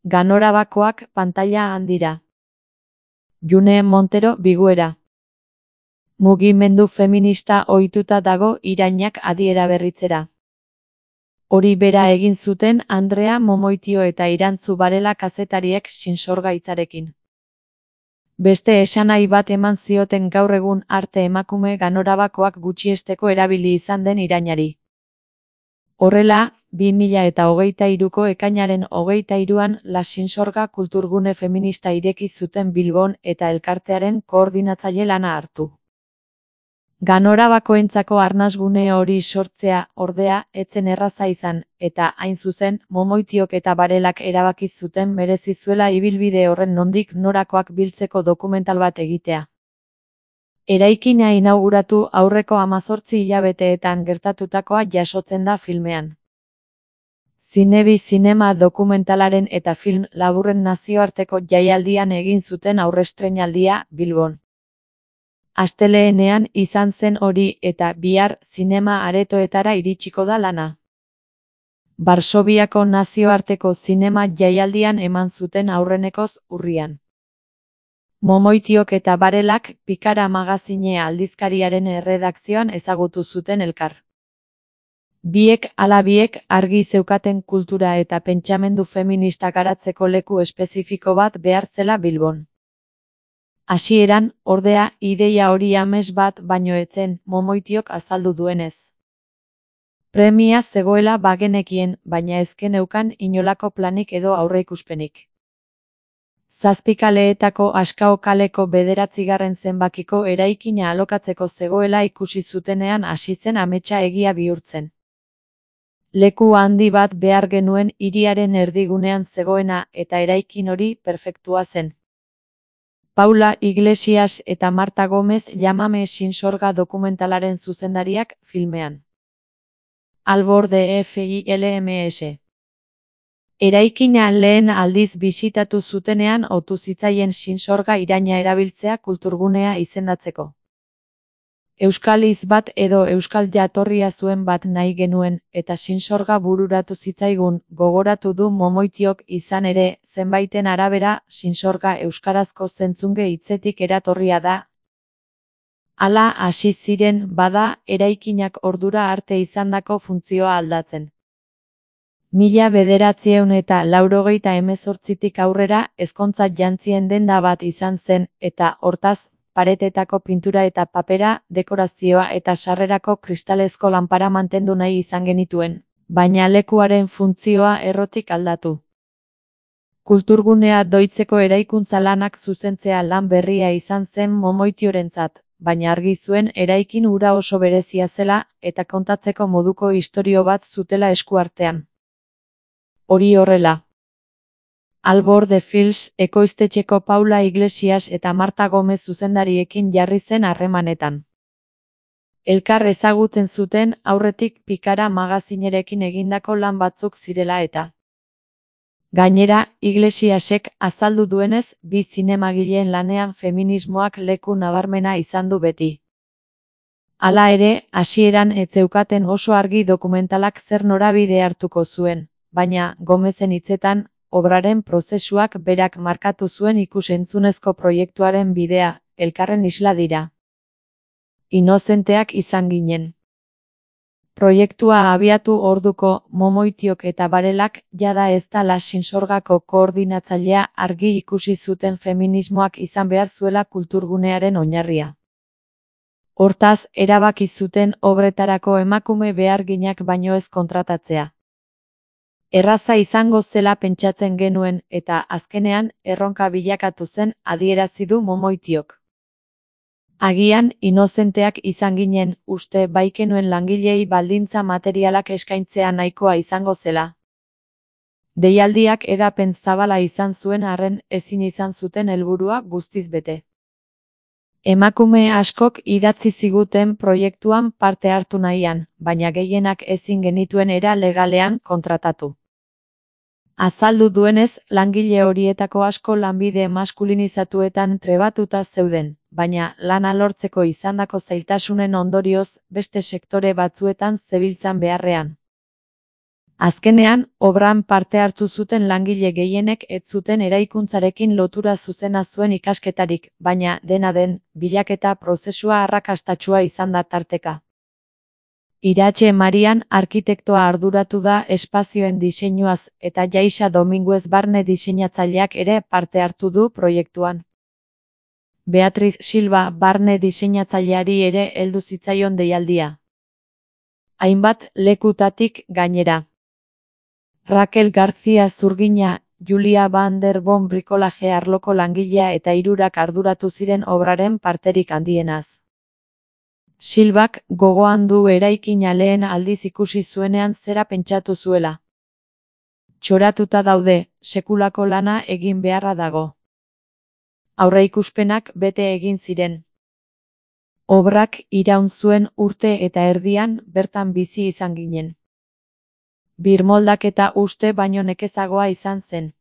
Ganorabakoak pantaila handira. June Montero biguera. Mugimendu feminista ohituta dago irainak adiera berritzera. Hori bera egin zuten Andrea Momoitio eta Irantzu Barela kazetariek Sinsorgaitzarekin. Beste esanahi bat eman zioten gaur egun arte emakume ganorabakoak gutxiesteko erabili izan den irainari. Horrela, 2023ko ekainaren 23an La Sinsorga kulturgune feminista ireki zuten Bilbon eta elkartearen koordinatzaile lana hartu. Ganorabakoentzako arnasgune hori sortzea, ordea, etzen erraza izan, eta hain zuzen, Momoitiok eta Barelak erabaki zuten merezi zuela ibilbide horren nondik norakoak biltzeko dokumental bat egitea. Eraikina inauguratu aurreko 18 hilabeteetan gertatutakoa jasotzen da filmean. Zinebi zinema dokumentalaren eta film laburren nazioarteko jaialdian egin zuten aurrestreinaldia Bilbon. Astelehenean izan zen hori eta bihar zinema aretoetara iritsiko da lana. Varsoviako nazioarteko zinema jaialdian eman zuten aurrenekoz urrian. Momoitiok eta Barelak Pikara magazine aldizkariaren erredakzioan ezagutu zuten elkar. Biek ala biek argi zeukaten kultura eta pentsamendu feminista garatzeko leku espezifiko bat behar zela Bilbon. Hasieran, ordea, ideia hori ames bat baino etzen Momoitiok azaldu duenez. Premia zegoela bagenekien, baina ezkeneukan inolako planik edo aurreikuspenik. 7 kaleetako Askao kaleko 9. zenbakiko eraikina alokatzeko zegoela ikusi zutenean hasi zen ametsa egia bihurtzen. Leku handi bat behar genuen hiriaren erdigunean zegoena eta eraikin hori perfektua zen. Paula Iglesias eta Marta Gomez Llámame Sinsorga dokumentalaren zuzendariak filmean. Albor de FILMS. Eraikina lehen aldiz bisitatu zutenean otu zitzaien Sinsorga iraina erabiltzea kulturgunea izendatzeko. Euskal hitz bat edo euskal jatorria zuen bat nahi genuen, eta Sinsorga bururatu zitzaigun, gogoratu du Momoitiok izan ere, zenbaiten arabera, Sinsorga euskarazko zentzunge hitzetik eratorria da. Hala hasi ziren bada, eraikinak ordura arte izandako funtzioa aldatzen. 1988tik aurrera ezkontza jantzien denda bat izan zen, eta hortaz, paretetako pintura eta papera, dekorazioa eta sarrerako kristalezko lanpara mantendu nahi izan genituen, baina lekuaren funtzioa errotik aldatu. Kulturgunea doitzeko eraikuntza lanak zuzentzea lan berria izan zen Momoitiorentzat, baina argi zuen eraikin hura oso berezia zela eta kontatzeko moduko istorio bat zutela eskuartean. Hori horrela. Albor de Films ekoiztetxeko Paula Iglesias eta Marta Gomez zuzendariekin jarri zen harremanetan. Elkar ezagutzen zuten aurretik Pikara magazinerekin egindako lan batzuk zirela eta. Gainera, Iglesiasek azaldu duenez, bi zinemagileen lanean feminismoak leku nabarmena izan du beti. Hala ere, hasieran ez zeukaten oso argi dokumentalak zer norabide hartuko zuen, baina Gomezen hitzetan, obraren prozesuak berak markatu zuen ikus-entzunezko proiektuaren bidea, elkarren isla dira. Inozenteak izan ginen. Proiektua abiatu orduko Momoitiok eta Barelak jada ez da La Sinsorgako koordinatzailea argi ikusi zuten feminismoak izan behar zuela kulturgunearen oinarria. Hortaz, erabaki zuten obretarako emakume beharginak baino ez kontratatzea. Erraza izango zela pentsatzen genuen eta azkenean erronka bilakatu zen adierazi du Momoitiok. Agian, inozenteak izan ginen, uste baikenuen langilei baldintza materialak eskaintzea nahikoa izango zela. Deialdiak edapen zabala izan zuen arren ezin izan zuten helburua guztiz bete. Emakume askok idatzi ziguten proiektuan parte hartu nahian, baina gehienak ezin genituen era legalean kontratatu. Azaldu duenez, langile horietako asko lanbide maskulinizatuetan trebatuta zeuden, baina lana lortzeko izandako zailtasunen ondorioz beste sektore batzuetan zebiltzan beharrean. Azkenean, obran parte hartu zuten langile gehienek ez zuten eraikuntzarekin lotura zuzena zuen ikasketarik, baina, dena den, bilaketa prozesua arrakastatsua izan da tarteka. Iratxe Marian arkitektoa arduratu da espazioen diseinuaz eta Jaixa Dominguez barne diseinatzaileak ere parte hartu du proiektuan. Beatriz Silva barne diseinatzaileari ere heldu zitzaion deialdia. Hainbat lekutatik gainera. Raquel García Zurgina, Julia van der Boom brikolaje arloko langilea eta 3 arduratu ziren obraren parterik handienaz. Silbak gogoan du eraikina lehen aldiz ikusi zuenean zera pentsatu zuela. Txoratuta daude, sekulako lana egin beharra dago. Aurreikuspenak bete egin ziren. Obrak iraun zuen urte eta erdian bertan bizi izan ginen. Birmoldaketa uste baino nekezagoa izan zen.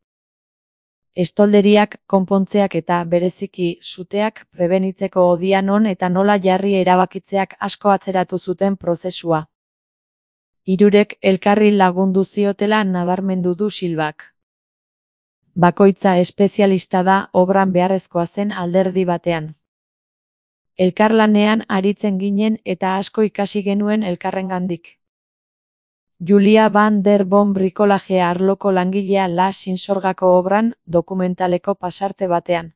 Estolderiak, konpontzeak eta bereziki suteak prebenitzeko odia non eta nola jarri erabakitzeak asko atzeratu zuten prozesua. 3 elkarri lagundu ziotela nabarmendu du Silbak. Bakoitza espezialista da obran beharrezkoa zen alderdi batean. Elkarlanean aritzen ginen eta asko ikasi genuen elkarrengandik. Julia van der Boom brikolaje arloko langilea La Sinsorgako obran dokumentaleko pasarte batean.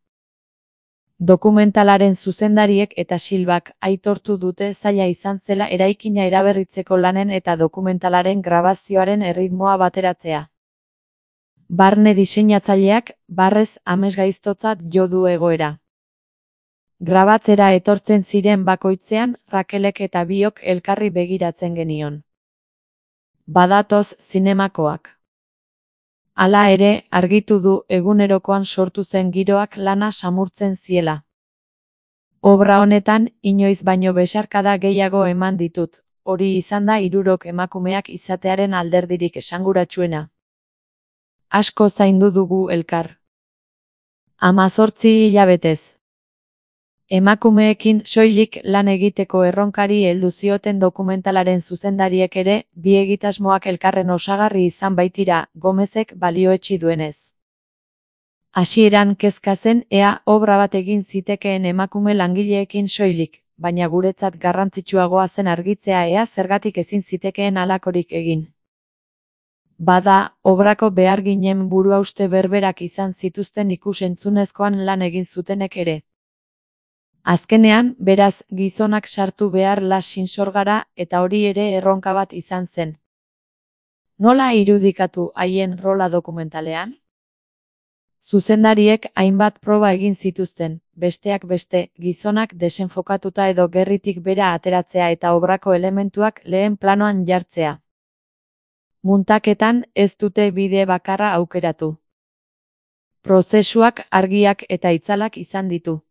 Dokumentalaren zuzendariek eta Silbak aitortu dute zaila izan zela eraikina eraberritzeko lanen eta dokumentalaren grabazioaren erritmoa bateratzea. Barne diseinatzaileak barrez amesgaiztotzat jo du egoera. Grabatzera etortzen ziren bakoitzean Rakelek eta biok elkarri begiratzen genion. Badatoz zinemakoak. Hala ere, argitu du egunerokoan sortu zen giroak lana samurtzen ziela. Obra honetan, inoiz baino besarkada gehiago eman ditut, hori izan da 3 emakumeak izatearen alderdirik esanguratsuena. Asko zaindu dugu elkar. 18 hilabetez. Emakumeekin soilik lan egiteko erronkari heldu zioten dokumentalaren zuzendariek ere, bi egitasmoak elkarren osagarri izan baitira, Gomezek balioetsi duenez. Hasieran kezka zen ea obra bat egin zitekeen emakume langileekin soilik, baina guretzat garrantzitsuagoa zen argitzea ea zergatik ezin zitekeen halakorik egin. Bada, obrako beharginen buruhauste berberak izan zituzten ikus-entzunezkoan lan egin zutenek ere. Azkenean, beraz, gizonak sartu behar La Sinsorgara eta hori ere erronka bat izan zen. Nola irudikatu haien rola dokumentalean? Zuzendariek hainbat proba egin zituzten, besteak beste, gizonak desenfokatuta edo gerritik bera ateratzea eta obrako elementuak lehen planoan jartzea. Muntaketan ez dute bide bakarra aukeratu. Prozesuak argiak eta itzalak izan ditu.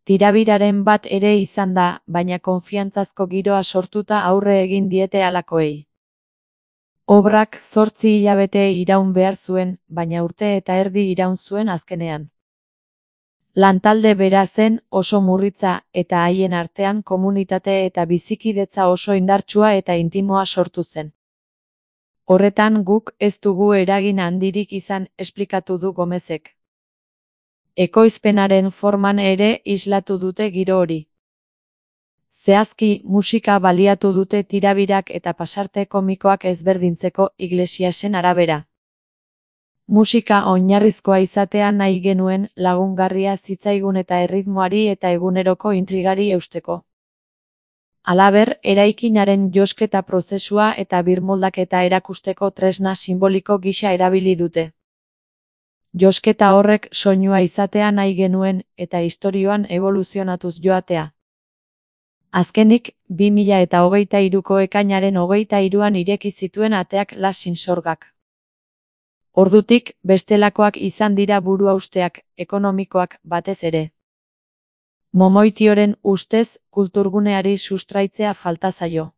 Tirabiraren bat ere izan da, baina konfiantzazko giroa sortuta aurre egin diete halakoei. Obrak 8 hilabete iraun behar zuen, baina urte eta erdi iraun zuen azkenean. Lantalde bera zen oso murritza eta haien artean komunitate eta bizikidetza oso indartsua eta intimoa sortu zen. Horretan guk ez dugu eragin handirik izan, esplikatu du Gomezek. Ekoizpenaren forman ere islatu dute giro hori. Zehazki, musika baliatu dute tirabirak eta pasarte komikoak ezberdintzeko Iglesiasen arabera. Musika oinarrizkoa izatea nahi genuen lagungarria zitzaigun eta erritmoari eta eguneroko intrigari eusteko. Halaber, eraikinaren josketa prozesua eta birmoldaketa erakusteko tresna simboliko gisa erabili dute. Josketa horrek soinua izatea nahi genuen eta istorioan evoluzionatuz joatea. Azkenik, 2023ko ekainaren 23an ireki zituen ateak La Sinsorgak. Ordutik, bestelakoak izan dira buruhausteak, ekonomikoak batez ere. Momoitioren ustez, kulturguneari sustraitzea falta zaio.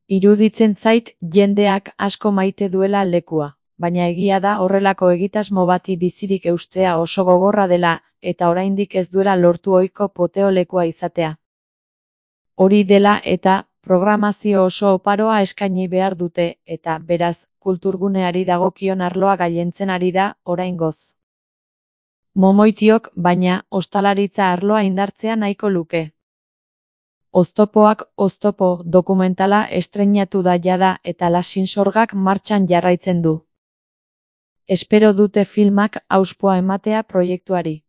Iruditzen zait jendeak asko maite duela lekua. Baina egia da horrelako egitasmo bati bizirik eustea oso gogorra dela, eta oraindik ez duela lortu ohiko poteolekua izatea. Hori dela eta, Programazio oso oparoa eskaini behar dute, eta, beraz, kulturguneari dagokion arloa gailentzen ari da, oraingoz. Momoitiok, baina, ostalaritza arloa indartzea nahiko luke. Oztopoak oztopo dokumentala estreinatu da jada eta Lasinsorgak martxan jarraitzen du. Espero dute filmak hauspoa ematea proiektuari.